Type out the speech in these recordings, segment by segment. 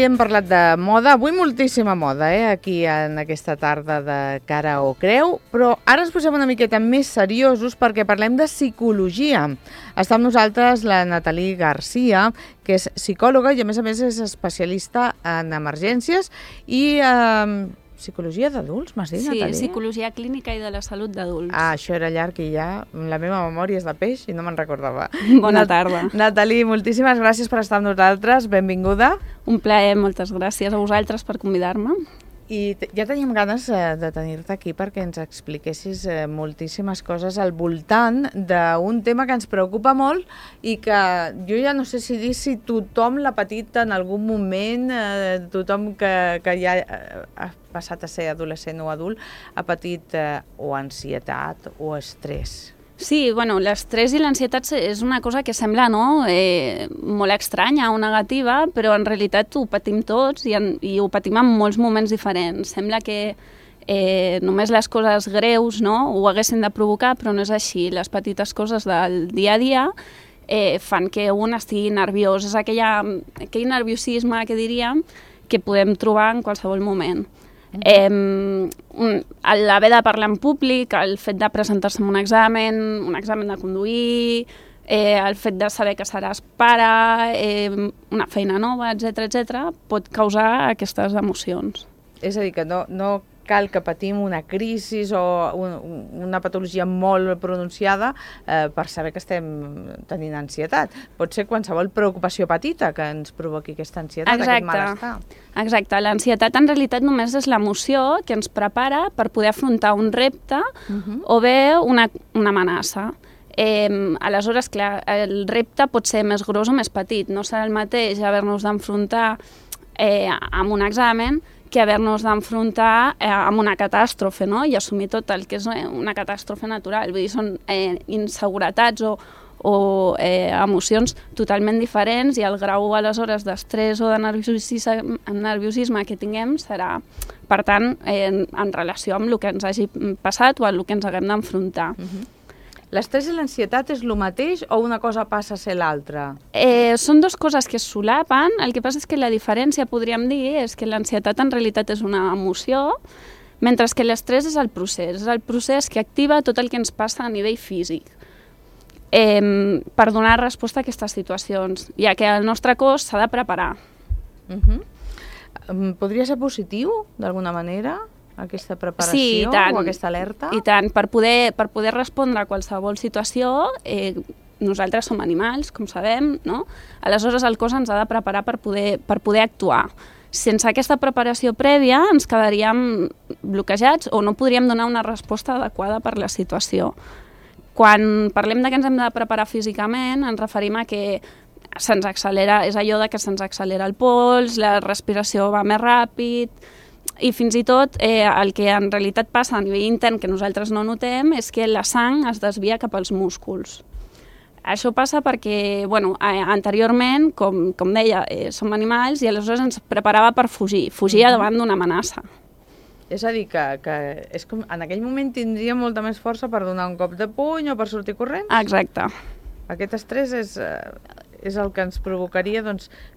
hem parlat de moda, avui moltíssima moda, aquí en aquesta tarda de Cara o Creu, però ara ens posem una miqueta més seriosos perquè parlem de psicologia. Està amb nosaltres la Nathalie Garcia, que és psicòloga i a més és especialista en emergències i psicologia d'adults, m'has dit, Nathalie? Sí, psicologia clínica i de la salut d'adults. Això era llarg i ja la meva memòria és de peix i no me'n recordava. Bona tarda. Nathalie, moltíssimes gràcies per estar amb nosaltres, benvinguda. Un plaer, moltes gràcies a vosaltres per convidar-me. I ja teníem ganes de tenir-te aquí perquè ens expliquessis moltíssimes coses al voltant d'un tema que ens preocupa molt i que jo ja no sé si tothom l'ha patit en algun moment, tothom que ja ha passat a ser adolescent o adult ha patit o ansietat o estrès. Sí, bueno, l'estrès i l'ansietat és una cosa que sembla molt estranya o negativa, però en realitat ho patim tots i ho patim en molts moments diferents. Sembla que només les coses greus ho haguessin de provocar, però no és així. Les petites coses del dia a dia fan que un estigui nerviós. És aquell nerviosisme que diríem que podem trobar en qualsevol moment. L'haver de parlar en públic, el fet de presentar-se en un examen de conduir, el fet de saber que seràs pare, una feina nova, etc., pot causar aquestes emocions. És a dir, que no cal que patim una crisi o una patologia molt pronunciada per saber que estem tenint ansietat. Pot ser qualsevol preocupació petita que ens provoqui aquesta ansietat, aquest malestar. Exacte. L'ansietat en realitat només és l'emoció que ens prepara per poder afrontar un repte o bé una amenaça. Aleshores, clar, el repte pot ser més gros o més petit. No serà el mateix haver-nos d'enfrontar amb un examen que haver-nos d'enfrontar amb una catàstrofe, i assumir tot el que és una catàstrofe natural. Vull dir, són inseguretats o emocions totalment diferents i el grau, aleshores, d'estrès o de nerviosisme que tinguem serà, per tant, en relació amb el que ens hagi passat o amb el que ens haguem d'enfrontar. L'estrès i l'ansietat és el mateix o una cosa passa a ser l'altra? Són dues coses que es solapen. El que passa és que la diferència, podríem dir, és que l'ansietat en realitat és una emoció, mentre que l'estrès és el procés. És el procés que activa tot el que ens passa a nivell físic per donar resposta a aquestes situacions, ja que el nostre cos s'ha de preparar. Podria ser positiu, d'alguna manera, aquesta preparació o aquesta alerta? I tant, per poder respondre a qualsevol situació, nosaltres som animals, com sabem, aleshores el cos ens ha de preparar per poder actuar. Sense aquesta preparació prèvia ens quedaríem bloquejats o no podríem donar una resposta adequada per la situació. Quan parlem de que ens hem de preparar físicament, ens referim a que se'ns accelera, és allò de que se'ns accelera el pols, la respiració va més ràpid, i fins i tot el que en realitat passa a nivell intern que nosaltres no notem és que la sang es desvia cap als músculs. Això passa perquè, anteriorment, com deia, som animals i aleshores ens preparava per fugir davant d'una amenaça. És a dir, que és com, en aquell moment tindria molta més força per donar un cop de puny o per sortir corrents? Exacte. Aquest estrès és el que ens provocaria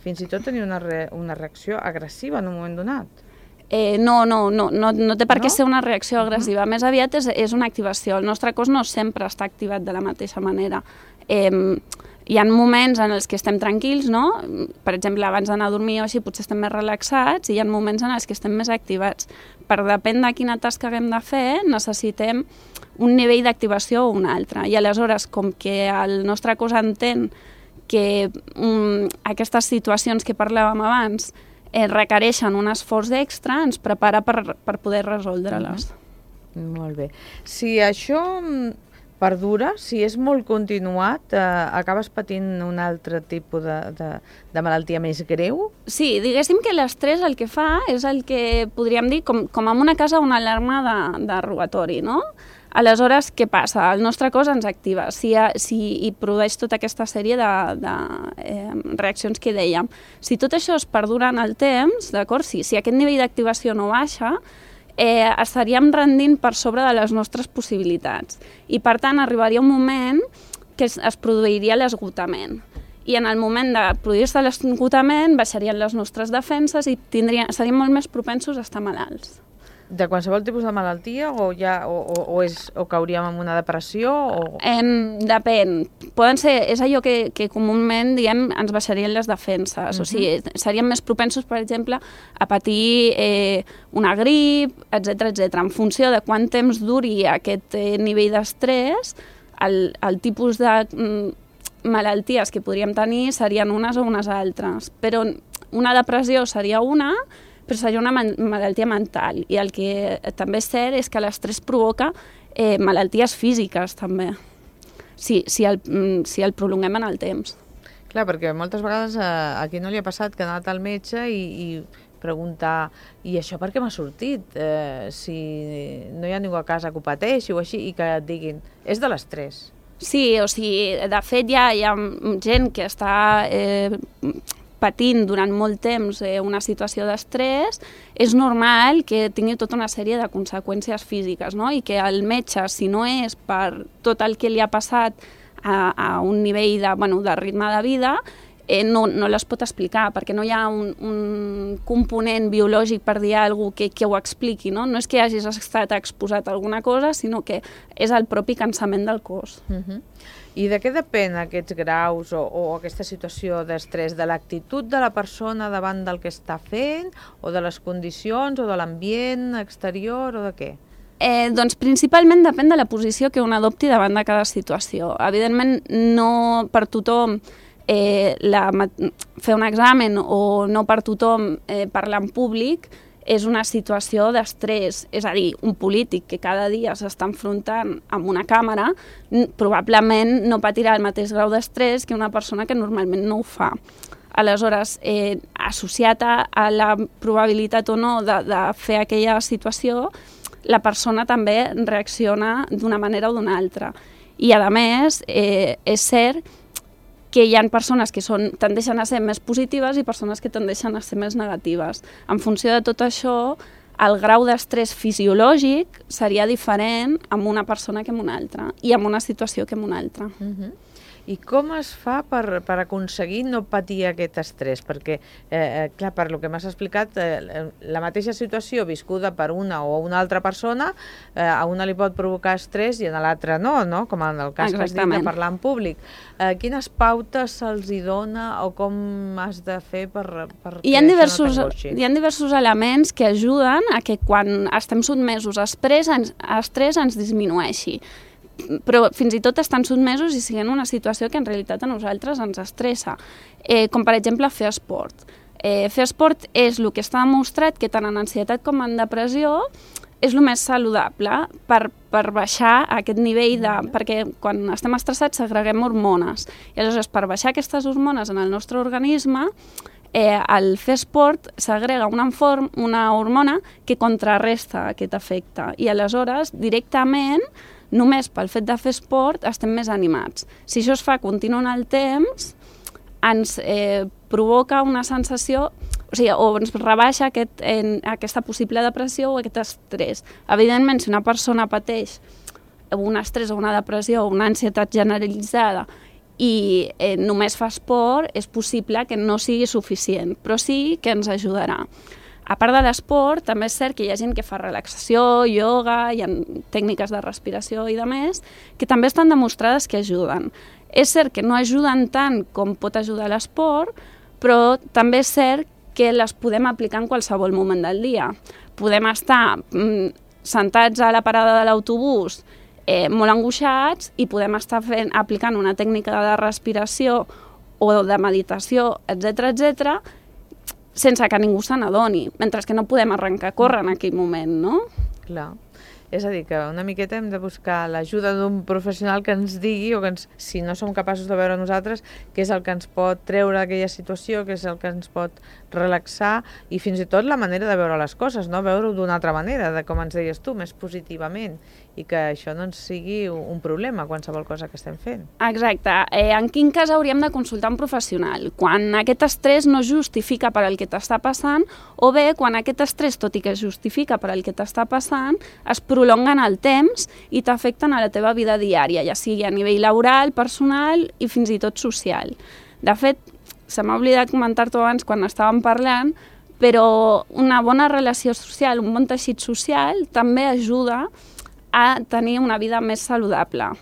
fins i tot tenir una reacció agressiva en un moment donat. No té per què ser una reacció agressiva. Més aviat és una activació. El nostre cos no sempre està activat de la mateixa manera. Hi ha moments en els que estem tranquils, per exemple, abans d'anar a dormir o així potser estem més relaxats, i hi ha moments en els que estem més activats. Per depèn de quina tasca haguem de fer, necessitem un nivell d'activació o un altre. I aleshores, com que el nostre cos entén que aquestes situacions que parlàvem abans requereixen un esforç extra, ens prepara per poder resoldre-les. Molt bé. Si això perdura, si és molt continuat, acabes patint un altre tipus de malaltia més greu? Sí, diguéssim que l'estrès el que fa és el que podríem dir com en una casa una alarma de robatori, Aleshores, què passa? El nostre cos ens activa i produeix tota aquesta sèrie de reaccions que dèiem. Si tot això es perdura en el temps, d'acord? Si aquest nivell d'activació no baixa, estaríem rendint per sobre de les nostres possibilitats. I, per tant, arribaria un moment que es produiria l'esgotament. i en el moment de produir-se l'esgotament baixarien les nostres defenses i seríem molt més propensos a estar malalts. De qualsevol tipus de malaltia o cauríem en una depressió? Depèn. És allò que comúment diem ens baixarien les defenses. O sigui, seríem més propensos, per exemple, a patir una grip, etc. En funció de quant temps duri aquest nivell d'estrès, el tipus de malalties que podríem tenir serien unes o unes altres. Però una depressió seria una, però seria una malaltia mental. I el que també és cert és que l'estrès provoca malalties físiques, també, si el prolonguem en el temps. Clar, perquè moltes vegades a qui no li ha passat que ha anat al metge i preguntar i això per què m'ha sortit? Si no hi ha ningú a casa que ho pateixi o així, i que et diguin, és de l'estrès. Sí, o sigui, de fet hi ha gent que està patint durant molt temps una situació d'estrès, és normal que tingui tota una sèrie de conseqüències físiques, no? I que el metge, si no és per tot el que li ha passat a un nivell de ritme de vida, no les pot explicar, perquè no hi ha un component biològic, per dir alguna cosa, que ho expliqui, no? No és que hagis estat exposat a alguna cosa, sinó que és el propi cansament del cos. I de què depèn aquests graus o aquesta situació d'estrès? De l'actitud de la persona davant del que està fent, o de les condicions, o de l'ambient exterior, o de què? Doncs principalment depèn de la posició que un adopti davant de cada situació. Evidentment, no per tothom fer un examen o no per tothom parlar en públic és una situació d'estrès. És a dir, un polític que cada dia s'està enfrontant amb una càmera probablement no patirà el mateix grau d'estrès que una persona que normalment no ho fa. Aleshores, associat a la probabilitat o no de fer aquella situació, la persona també reacciona d'una manera o d'una altra. I, a més, és cert que hi ha persones que tendeixen a ser més positives i persones que tendeixen a ser més negatives. En funció de tot això, el grau d'estrès fisiològic seria diferent amb una persona que amb una altra i amb una situació que amb una altra. I com es fa per aconseguir no patir aquest estrès? Perquè, clar, per lo que m'has explicat, la mateixa situació viscuda per una o una altra persona, a una li pot provocar estrès i a l'altra no? Com en el cas que has dit de parlar en públic. Quines pautes se'ls hi dona o com has de fer per hi ha diversos elements que ajuden a que quan estem sotmesos a estrès ens disminueixi. Però fins i tot estan sotmesos i siguin una situació que en realitat a nosaltres ens estressa, com per exemple fer esport. Fer esport és el que està demostrat que tant en ansietat com en depressió és el més saludable per baixar aquest nivell perquè quan estem estressats segreguem hormones i aleshores per baixar aquestes hormones en el nostre organisme el fer esport segrega una hormona que contrarresta aquest efecte i aleshores directament només pel fet de fer esport estem més animats. Si això es fa continu en el temps, ens provoca una sensació, o ens rebaixa aquesta possible depressió o aquest estrès. Evidentment, si una persona pateix un estrès o una depressió o una ansietat generalitzada i només fa esport, és possible que no sigui suficient, però sí que ens ajudarà. A part de l'esport, també és cert que hi ha gent que fa relaxació, ioga, hi ha tècniques de respiració i de més, que també estan demostrades que ajuden. És cert que no ajuden tant com pot ajudar l'esport, però també és cert que les podem aplicar en qualsevol moment del dia. Podem estar sentats a la parada de l'autobús molt angoixats i podem estar aplicant una tècnica de respiració o de meditació, etc., sense que ningú se n'adoni, mentre que no podem arrencar a córrer en aquell moment, no? Clar. És a dir, que una miqueta hem de buscar l'ajuda d'un professional que ens digui, o que si no som capaços de veure nosaltres, què és el que ens pot treure d'aquella situació, què és el que ens pot relaxar, i fins i tot la manera de veure les coses, no? Veure-ho d'una altra manera, de com ens deies tu, més positivament, i que això no ens sigui un problema, qualsevol cosa que estem fent. Exacte. En quin cas hauríem de consultar un professional? Quan aquest estrès no justifica per al que t'està passant, o bé quan aquest estrès, tot i que es justifica per al que t'està passant, es prolonguen el temps i t'afecten a la teva vida diària, ja sigui a nivell laboral, personal i fins i tot social. De fet, se m'ha oblidat comentar-t'ho abans quan estàvem parlant, però una bona relació social, un bon teixit social, també ajuda a tenir una vida més saludable.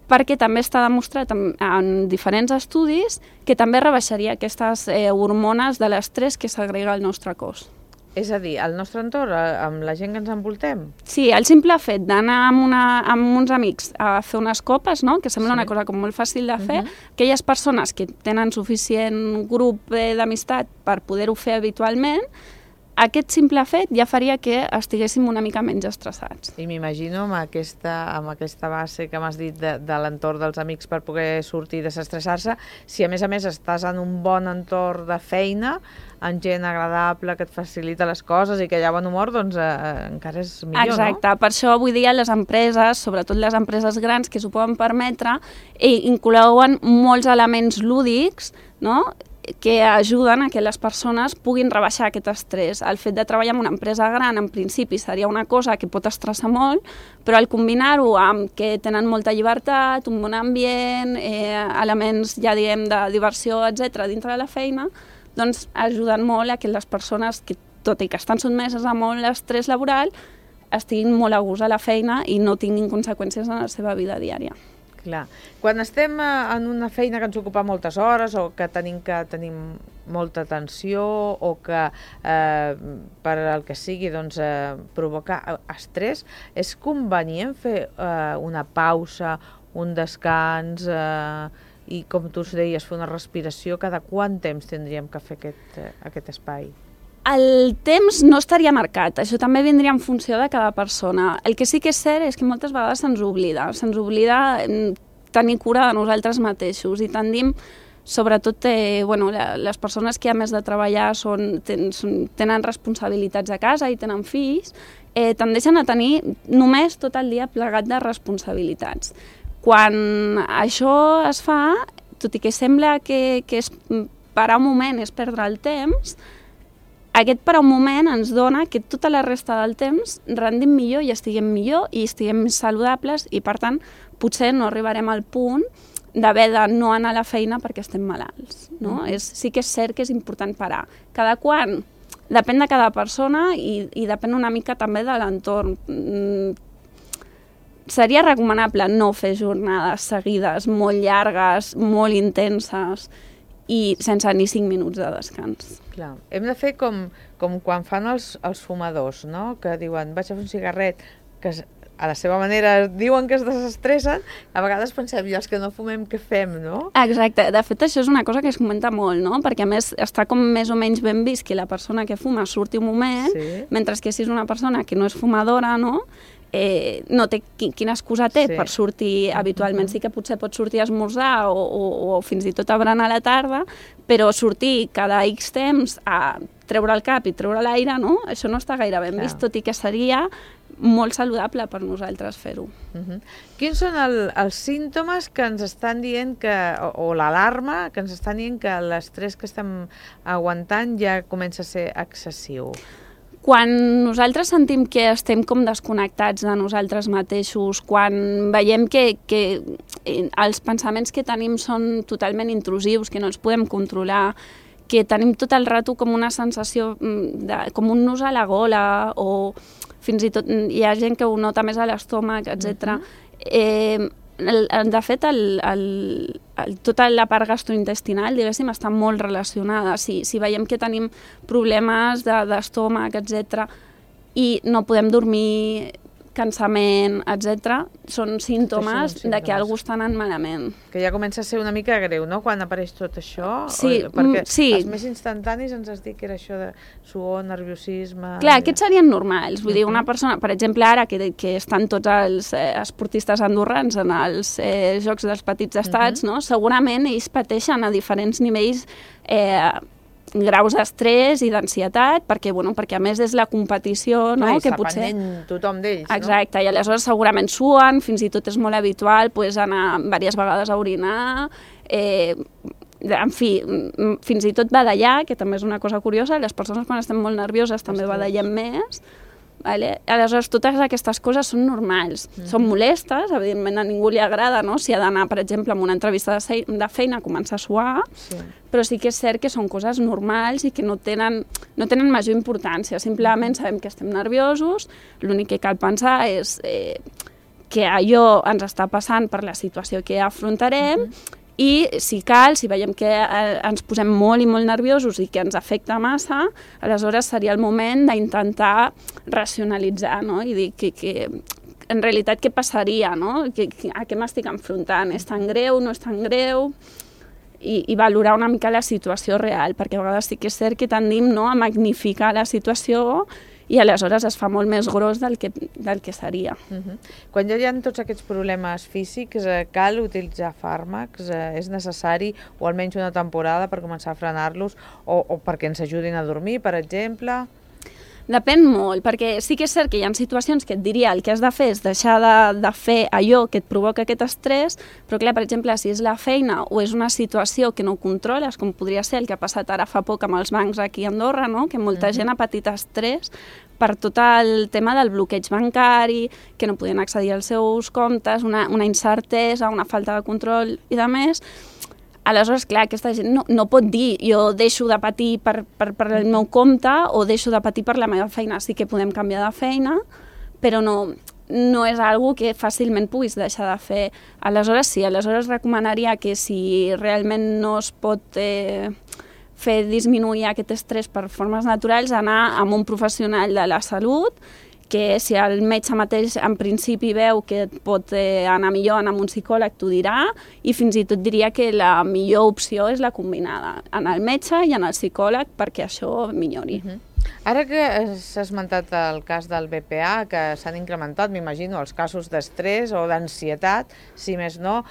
Perquè també està demostrat en diferents estudis que també rebaixaria aquestes hormones de l'estrès que segrega el nostre cos. És a dir, al nostre entorn, amb la gent que ens envoltem? Sí, el simple fet d'anar amb uns amics a fer unes copes, no? Que sembla una cosa com molt fàcil de fer, aquelles persones que tenen suficient grup d'amistat per poder-ho fer habitualment, aquest simple fet ja faria que estiguéssim una mica menys estressats. I m'imagino amb aquesta base que m'has dit de l'entorn dels amics per poder sortir i desestressar-se, si a més estàs en un bon entorn de feina, amb gent agradable que et facilita les coses i que hi ha bon humor, doncs encara és millor, Exacte, no? Per això avui dia les empreses, sobretot les empreses grans que s'ho poden permetre, inclouen molts elements lúdics, no?, que ajuden a que les persones puguin rebaixar aquest estrès. El fet de treballar en una empresa gran, en principi, seria una cosa que pot estressar molt, però al combinar-ho amb que tenen molta llibertat, un bon ambient, elements, ja diem, de diversió, etc., dintre de la feina, doncs ajuden molt a que les persones, que tot i que estan sotmeses a molt estrès laboral, estiguin molt a gust a la feina i no tinguin conseqüències en la seva vida diària. Clar. Quan estem en una feina que ens ocupa moltes hores o que tenim molta tensió o que per el que sigui doncs, provoca estrès, és convenient fer una pausa, un descans i, com tu deies, fer una respiració? Cada quant temps tindríem que fer aquest espai? El temps no estaria marcat, això també vindria en funció de cada persona. El que sí que és cert és que moltes vegades se'ns oblida tenir cura de nosaltres mateixos i tendim, sobretot les persones que a més de treballar tenen responsabilitats a casa i tenen fills, tendeixen a tenir només tot el dia plegat de responsabilitats. Quan això es fa, tot i que sembla que és parar un moment, és perdre el temps, aquest parar un moment ens dona que tota la resta del temps rendim millor i estiguem més saludables i, per tant, potser no arribarem al punt d'haver de no anar a la feina perquè estem malalts. No? Sí que és cert que és important parar. Cada quan? Depèn de cada persona i depèn una mica també de l'entorn. Seria recomanable no fer jornades seguides, molt llargues, molt intenses, i sense ni 5 minuts de descans. Clar. Hem de fer com quan fan els fumadors, no? Que diuen, vaig a fer un cigarret, que a la seva manera diuen que es desestressen, a vegades pensem, i els que no fumem, què fem, no? Exacte. De fet, això és una cosa que es comenta molt, no? Perquè, a més, està com més o menys ben vist que la persona que fuma surti un moment, mentre que si és una persona que no és fumadora, no?, no té quina excusa té per sortir habitualment. Sí que potser pot sortir a esmorzar o fins i tot a berenar a la tarda, però sortir cada X temps a treure el cap i treure l'aire, no? Això no està gaire ben vist, tot i que seria molt saludable per nosaltres fer-ho. Quins són els símptomes que ens estan dient o l'alarma que ens estan dient que l'estrès que estem aguantant ja comença a ser excessiu? Quan nosaltres sentim que estem com desconnectats de nosaltres mateixos, quan veiem que els pensaments que tenim són totalment intrusius, que no els podem controlar, que tenim tot el rato com una sensació com un nus a la gola, o fins i tot hi ha gent que ho nota més a l'estómac, etc. De fet, tota la part gastrointestinal, diguéssim, està molt relacionada. Si veiem que tenim problemes d'estómac, etc., i no podem dormir, cansament, etc., són símptomes de que alguna cosa està anant malament. Que ja comença a ser una mica greu, no?, quan apareix tot això? Sí, perquè els més instantanis ens has dit que era això de suor, nerviosisme... Clar, aquests serien normals. Vull dir, una persona, per exemple, ara que estan tots els esportistes andorrans en els Jocs dels Petits Estats, no?, segurament ells pateixen a diferents nivells graus d'estrès i d'ansietat, perquè a més és la competició, no? Clar, i està pendent tothom d'ells, no? Exacte, i aleshores segurament suen, fins i tot és molt habitual anar diverses vegades a orinar, en fi, fins i tot badallar, que també és una cosa curiosa, les persones quan estem molt nervioses també badallem més, Vale? Aleshores, totes aquestes coses són normals, són molestes, evidentment a ningú li agrada, no? Si ha d'anar, per exemple, a una entrevista de feina a començar a suar, però sí que és cert que són coses normals i que no tenen major importància, simplement sabem que estem nerviosos, l'únic que cal pensar és que allò ens està passant per la situació que afrontarem, i si cal, si veiem que ens posem molt i molt nerviosos i que ens afecta massa, aleshores seria el moment d'intentar racionalitzar, no? I dir que en realitat què passaria, no? A què m'estic enfrontant? És tan greu, no és tan greu? I valorar una mica la situació real, perquè a vegades sí que és cert que tendim, no, a magnificar la situació i aleshores es fa molt més gros del que seria. Quan ja hi ha tots aquests problemes físics, cal utilitzar fàrmacs? És necessari, o almenys una temporada, per començar a frenar-los, o perquè ens ajudin a dormir, per exemple? Depèn molt, perquè sí que és cert que hi ha situacions que et diria el que has de fer és deixar de fer allò que et provoca aquest estrès, però clar, per exemple, si és la feina o és una situació que no controles, com podria ser el que ha passat ara fa poc amb els bancs aquí a Andorra, no? Que molta gent ha patit estrès per tot el tema del bloqueig bancari, que no podien accedir als seus comptes, una incertesa, una falta de control i de més. Aleshores, clar, aquesta gent no pot dir jo deixo de patir per el meu compte o deixo de patir per la meva feina. Sí que podem canviar de feina, però no és algo que fàcilment puguis deixar de fer. Aleshores, sí, aleshores recomanaria que si realment no es pot fer disminuir aquest estrès per formes naturals, anar amb un professional de la salut, que si el metge mateix en principi veu que et pot anar millor, anar amb un psicòleg, t'ho dirà, i fins i tot diria que la millor opció és la combinada, anar al metge i anar al psicòleg perquè això millori. Ara que s'ha esmentat el cas del BPA, que s'han incrementat, m'imagino, els casos d'estrès o d'ansietat, si més no,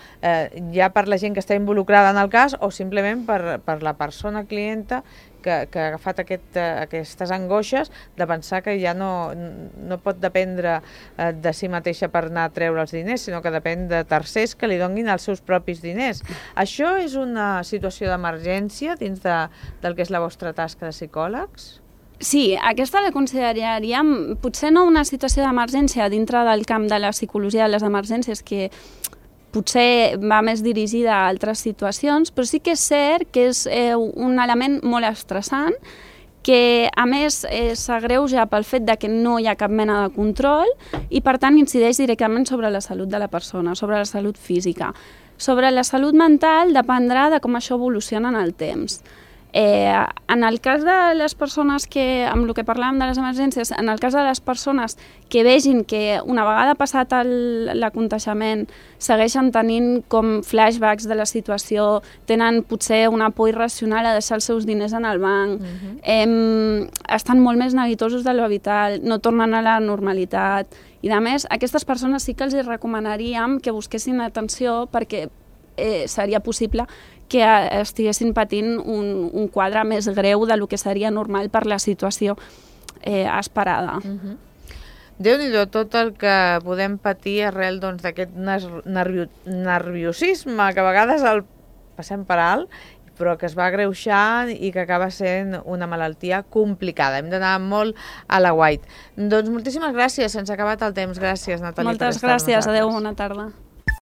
ja per la gent que està involucrada en el cas o simplement per la persona clienta que ha agafat aquestes angoixes de pensar que ja no pot dependre de si mateixa per anar a treure els diners, sinó que depèn de tercers que li donin els seus propis diners. Això és una situació d'emergència dins del que és la vostra tasca de psicòlegs? Sí, aquesta la consideraríem potser no una situació d'emergència dintre del camp de la psicologia de les emergències, que potser va més dirigida a altres situacions, però sí que és cert que és un element molt estressant, que a més s'agreuja pel fet de que no hi ha cap mena de control i per tant incideix directament sobre la salut de la persona, sobre la salut física. Sobre la salut mental dependrà de com això evoluciona en el temps. En el cas de les persones amb el que parlàvem de les emergències, en el cas de les persones que vegin que una vegada passat l'aconteixement segueixen tenint com flashbacks de la situació, tenen potser una por irracional a deixar els seus diners en el banc, estan molt més neguitosos de lo vital, no tornen a la normalitat i a més, aquestes persones sí que els recomanaríem que busquessin atenció perquè seria possible que estiguessin patint un quadre més greu del que seria normal per la situació esperada. Déu-n'hi-do tot el que podem patir arrel d'aquest nerviosisme que a vegades el passem per alt, però que es va agreuixant i que acaba sent una malaltia complicada. Hem d'anar molt a la guait. Doncs moltíssimes gràcies, se'ns ha acabat el temps. Gràcies, Natàlia. Moltes gràcies, adeu, bona tarda.